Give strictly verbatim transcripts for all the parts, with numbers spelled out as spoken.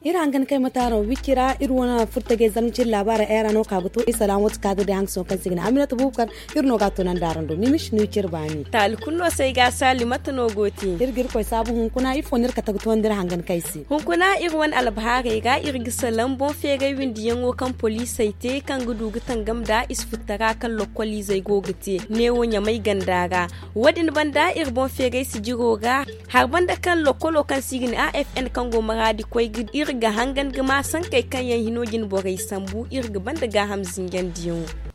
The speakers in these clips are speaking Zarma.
Iri hangan kay mate araŋ wicci ra iri wane furtajey zarma cine laabaarey ay ra no ka ga to iri salaŋ wate ka ga day hangaso kaŋ se i ga ne aminata bubakar. Iri no ga a tunandi araŋ do mimis no i cire baani. Taali kulu no se ay ga a saali mate no go te. Iri ga irkoy saabu hunkuna ifo no iri ga taga toonandi iri hangan kay se. Hunkuna iri wane albahaarey ra iri ga salaŋ boŋ feeray windiyaŋo kaŋ poliisey te kaŋ ga du ga tangam nda i si futtara kaŋ lokkoliizey go ga te neewo ɲamay ganda ra. Wo- din banda iri boŋ feeray sijiro ra. Hari banda kaŋ lokkolo kaŋ se i ga ne a f n kaŋ go maraadi koy ga iri ga hangan ga ma sankey kaŋ yaŋ hino jine borey sambu iri ga banda gaaham zinjandiyaŋo.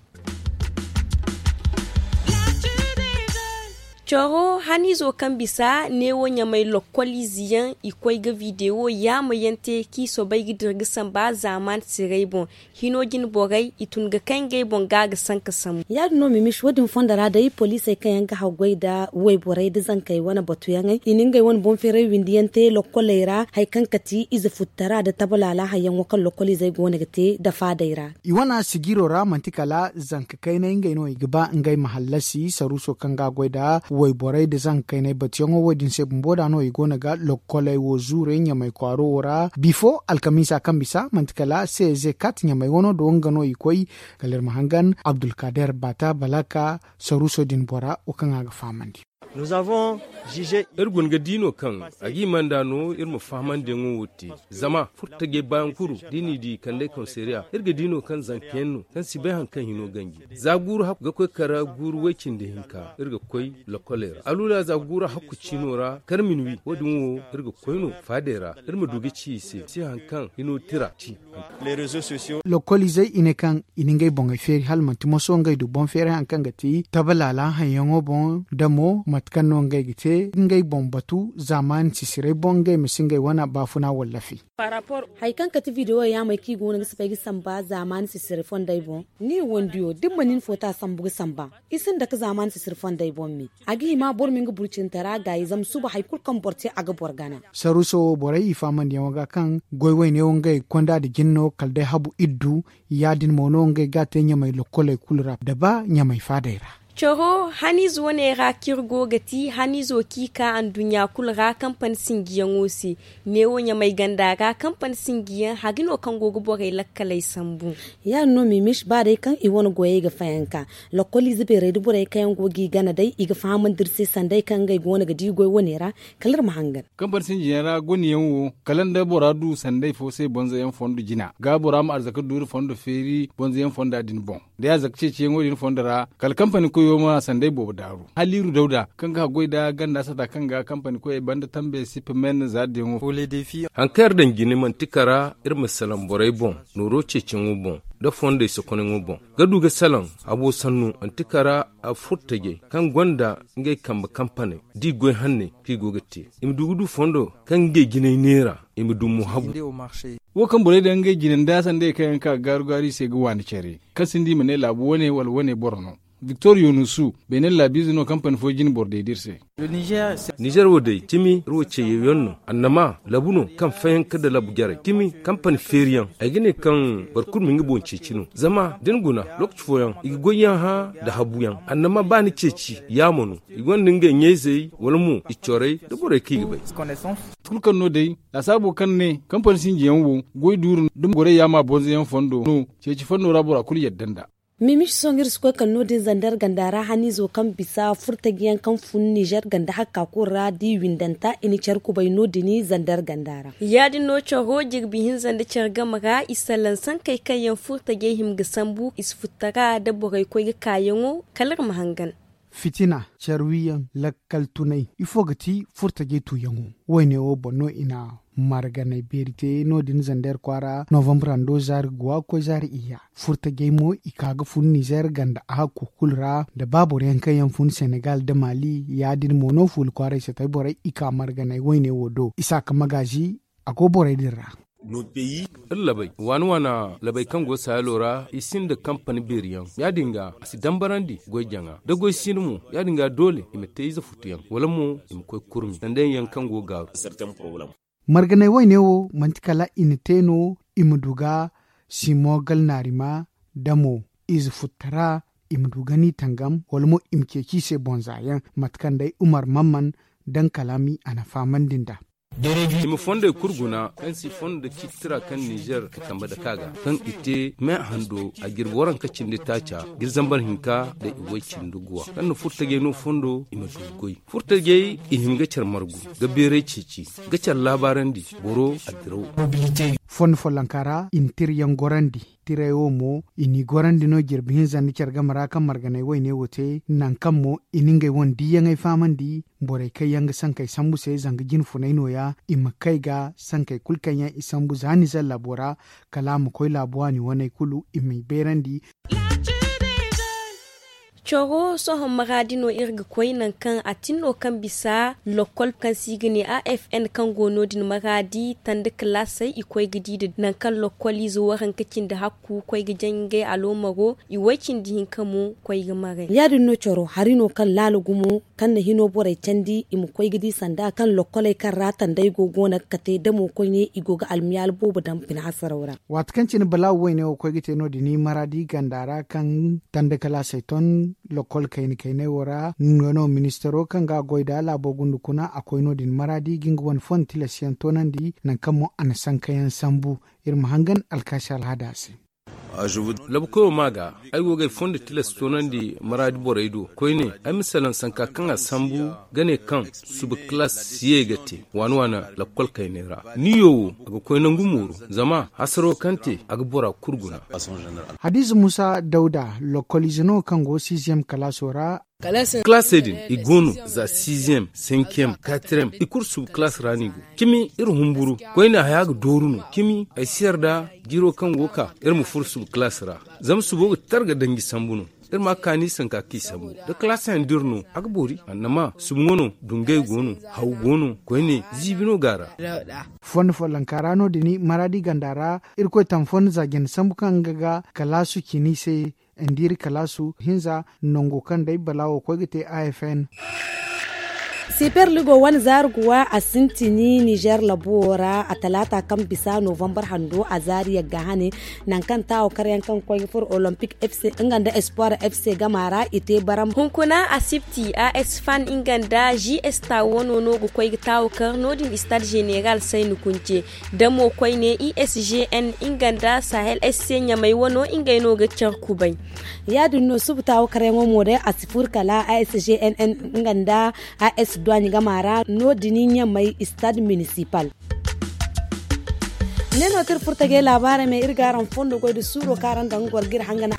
Coro haniizo kaŋ bisa neewo ɲamay lokkol ize yaŋ i koy ga videwo yaama yaŋ te kaŋ i soobay ga dira ga samba zaaman siray boŋ. Hino jine borey i tun ga kay ngey boŋ ga ga sanka sambu. Ya- din no mimisi wo- din fondo ra day poliisey kaŋ yaŋ ga haggoy nda wayborey nda zankey wane batuyaŋey i na ngey wane boŋ feeray windi yaŋ te lokkoley ra hari kaŋ kati ize futtara nda tabalaala hari yaŋo kaŋ lokkol izey go no ga te nda faadey ra. I wane sijiro ra manti kala zanka kaynay ngey no i ga ba ngey ma hallasi saruuso kaŋ ga a goy nda wayborey nda zanka kaynay batuyaŋo wo- din se bumbo da no i go no ga lokkoley wo zuurey ɲamay kwaaro wo ra bifo alkamiisa kaŋ bisa manti kala c z kat ɲamay wano do nga no i koy. Kala iri ma hangan abdulkader bata balaka saruuso din bora wo kaŋ a ga fahamandi. Iri guna ga di no kaŋ a ga hima nd'a no iri ma fahamandiyaŋo wo te. Zama furtajey baayaŋ kulu da i n'i di kand'ey komisariya iri ga di no kaŋ zanka yaŋ no kaŋ si bay hari kaŋ hino ganji. Za guuru hakku ga koy kara guuru way-cindi-hinka iri ga koy lokkoley ra aluula za guuru hakku ciino ra kar minwi wo- din wo iri ga koy no faadey ra iri ma du ga ci i se si hari kaŋ hino tira ci. Lokkolizey i ne kaŋ i na ngey boŋey feeri hala manti moso ngey du boŋ feeray hari kaŋ ga ti tabalaala haŋyaŋo boŋ da mo mate kaŋ no ngey ga te ngey boŋ batu zaamaani sisiray boŋ ngey ma si ngey wane baafuna wallafi. Hari kaŋ kate videwo yaamey kaŋ i go no ga si bay ga samba zaamaani sisiray fondey boŋ ni wandiyo da ni ma nin foota sambu ga samba. I sinda ka zaamaani sisiri fondey boŋ me. A ga hima boro ma nga burcintara gaayi zama suba hari kulu kaŋ boro te a ga boro gana. Saruuso wo borey i faamandiyaŋo ga kaŋ goy wayne wo ngey konda nda jine no kala day habu iddu. Ya- din mo no ngey ga a te ɲamay lokkoley kulu ra da ba ɲamay faadey ra. Coro haniize wane ra kaŋ iri go ga ti haniizo kaŋ i ka anduɲɲa kulu ra kampani sinjiyaŋo se. Neewo ɲamay ganda ra kampani sinjiyaŋ hari no kaŋ go ga borey lakkaley sambu. Ya- din no mimis ba day kaŋ i wane goyey ga fayanka. Lokkol ize beerey da borey kaŋ yaŋ go g'i gana day i ga fahamandi iri se sanday kaŋ ngey go no ga di goy wane ra. Kala iri ma hangan. Kampani sinjiyaŋ ra goniyaŋ wo kala nda bora du sanday fo se bonzoyaŋ fondo jina ga bora ma arzaka duuri fondo feeri bonzoyaŋ fonda din boŋ. Da ya zaka ceeciyaŋo din fondo ra kala kampani koyo ma sanday boobo daaru haliiru dawda kaŋ ga haggoy nda ganda sata kaŋ ga kampani koyey banda tambe sipimen zaadiyaŋo. Hari kaŋ iri daŋ jine manti kara iri ma salaŋ borey boŋ nooro ceeciyaŋo boŋ nda fondey sokonayaŋo boŋ ga du ga salaŋ habo sannu manti kara a furtajey kaŋ gonda ngey kambe kampaney da i goy hanney kaŋ i go ga te i ma du ga du fondo kaŋ ngey jinay neera i ma du mo habu. Wo kaŋ borey daŋ ngey jine nda sanda ye kaŋ yaŋ ka ga gaaru gaaru i se ga waani care kaŋ sinda i ma ne laabu wane wala wane boro no. Victor yonusu beene laabiize no kampani fo jine boro day da iri se. Nizer wo day cimi iri wo ceeyaŋ no annama labu no kaŋ fayanka nda labu jarey cimi kampani feeriyaŋ ay ga ne kaŋ boro kulu ma nga boŋ ceeci no zama da ni guna lookaci fooyaŋ i ga goyyaŋ hã nda habuyaŋ annama ba ni ceeci yaamo no i gonda ngey ɲayzey wala mo i corey nda borey kaŋ i ga bay. Kulu kaŋ no day laasaabo kaŋ ne kampani sinjiyaŋ wo goy duuru nda gorey yaama bonzoyaŋ fondo no ceeci fondo ra bora kulu yadda nd'a. Mimiši sohõ iri si koy kala no- din zander ganda ra haniizo kaŋ bisa furtajiyaŋ kaŋ fun nizer ganda hakka kulu ra da i windanta i na care kubay no- din zander ganda ra. Ya- din no caro jirbi hinza nda care game ra i salaŋ sankey kaŋ yaŋ furtajey hima ga sambu i si futtara nda borey koy ga kaayaŋo kala iri ma hangan. Fitina, care wiyaŋ, lakkal tunay ifo ga ti furtajey tuuyaŋo? Woyne wo boŋ no i na marganay beeri te no- din zander kwaara novambre hando zaari guwa ga koy zaari iyya. Furtajey mo i ka ga fun nizer ganda a hakku kulu ra nda ba boro yaŋ kaŋ yaŋ fun senegal nda mali ya- din mo no fuula kwaaray satay borey i ka marganay woyne wo do i si a ka magaazi a go borey din ra. Iri labey waana waana labey kaŋ go saayalo ra i sinda kampani beeri yaŋ ya- din ga a si dambarandi goy jaŋa da goy si no mo ya- din ga doole i ma te ize futu yaŋ wala mo i ma koy kurmi sanda yaŋ kaŋ go gaaru. Marganey woyne wo manti kala i na te no i ma du ga simo galnaarima damo ize futtara i ma du ga ni tangam wala mo i ma ceeci i se bonza yaŋ mate kaŋ day umar mamman daŋ kalaami a na fahamandi nd'a. I ma fondey kulu guna kaŋ si fondo da ciitira kaŋ nizer ga kambe dake a ga kaŋ i te me hando a jirbi waranka cindi taaca ga iri zambar hinka nda i way cindi guwa kaŋ na furtajey no fondo i ma du ga goy. Furtajey i hin ga care margu ga beeray ceeci ga care laabaarandi boro a diraw. Fondo follonka ra i na tirayaŋ gorandi. Tiray wo mo i n'i gorandi no jirbi hinza nda care game ra kaŋ marganay wayne wo te nangu kaŋ mo i na ngey wane diiyaŋey fahamandi borey kaŋ yaŋ ga sankey sambu se zanga jinfunay nooya i ma kay ga sankey kulu kaŋ yaŋ i sambu za nizer laabo ra kala a ma koy laabu waani waney kulu i m'i beerandi. Coro sohõ maraadi no iri ga koy nangu kaŋ a tin no kaŋ bisa lokkol kaŋ se i ga ne a f n kaŋ go no- din maraadi tanda kalaasey i koy ga di nda nangu kaŋ lokkol ize waranka cindi hakku koy ga jaŋ ngey aloomaro i way cindi hinka mo koy ga maray. Ya- din no coro hari no kaŋ laala gumo kaŋ na hino borey candi i ma koy ga di sanda kaŋ lokkoley kaŋ ra tandey go go no ga kate damo koyne i go ga almiyaala boobo daŋ bine hasaraw ra. Waati kaŋ cine balaawo wayne wo koy ga te no- din maraadi ganda ra kaŋ tanda kalaasey ton lokkol kayna kayney wo ra nga no ministaro kaŋ ga a goy nd'a laabo gunda kuna a koy no- din maraadi ga nga wane fon tilas yaŋ toonandi nangu kaŋ mo a na sanka yaŋ sambu. Iri ma hangan alkaasi alhaada se. Labukoyo ma ga ay go ga ay fondo tilas toonandi maraadi borey do koyne ay ma salaŋ sanka kaŋ a sambu ga ne kaŋ suba kalaas si ye ga te waana waana lakkol kayney ra. Niyo wo a ga koy nangu mooru zama hasaro kaŋ te a ga bora kulu guna. Hadiza muusa dawda lokkoliize no kaŋ go siiziyem kalaaso ra. Kalaasey din i go no za siiziyem senkiyem katiriyem i kulu suba kalaas ra no i go. Cimi iri humburu koyne haya ga dooru no cimi ay si yarda jiiro kaŋ go ga ka iri ma furo suba kalaas ra. Zama subo ga tar ga danji sambu no. Iri ma kaani sanka kaŋ i sambu da kalaas yaŋ da iri no a ga boori annama suba ŋwa no dungay go no haw go no koyne ziibi no go a ra. Fondo follonka ra no- din maraadi ganda ra irkoy taŋ fondo za jine sambu kaŋ nga ga kalaasu cine i se. Nda iri kalaasu hinza nango kaŋ day balaawo koy ga te a f n. Siper ligo wane zaari guwa a sintini nizer labuwo ra a talaata kaŋ bisa novambar hando a zaari yagga hane. Nangu kaŋ taawo karyaŋ kaŋ ga koy ga furo olompik f c nga nda espoir f c gama ra i te baram hunkuna asibti a s fan nga nda g s taawo no no ga koy ga taawo kar no- din stade general sayni kunce. Damo koyne i s g n nga nda sahel s c ɲamey wano ngey no ga care kubay. Ya- din no suba taawo karyaŋo mo day a si furo kala a s g n n nga nda a s duwaaɲ gama ra no- din ɲamey stade municipal. Ne no kaŋ iri furo tajey laabaarey me iri ga araŋ fondo goy nda suuro kaŋ araŋ daŋ ga goro ga iri hangana.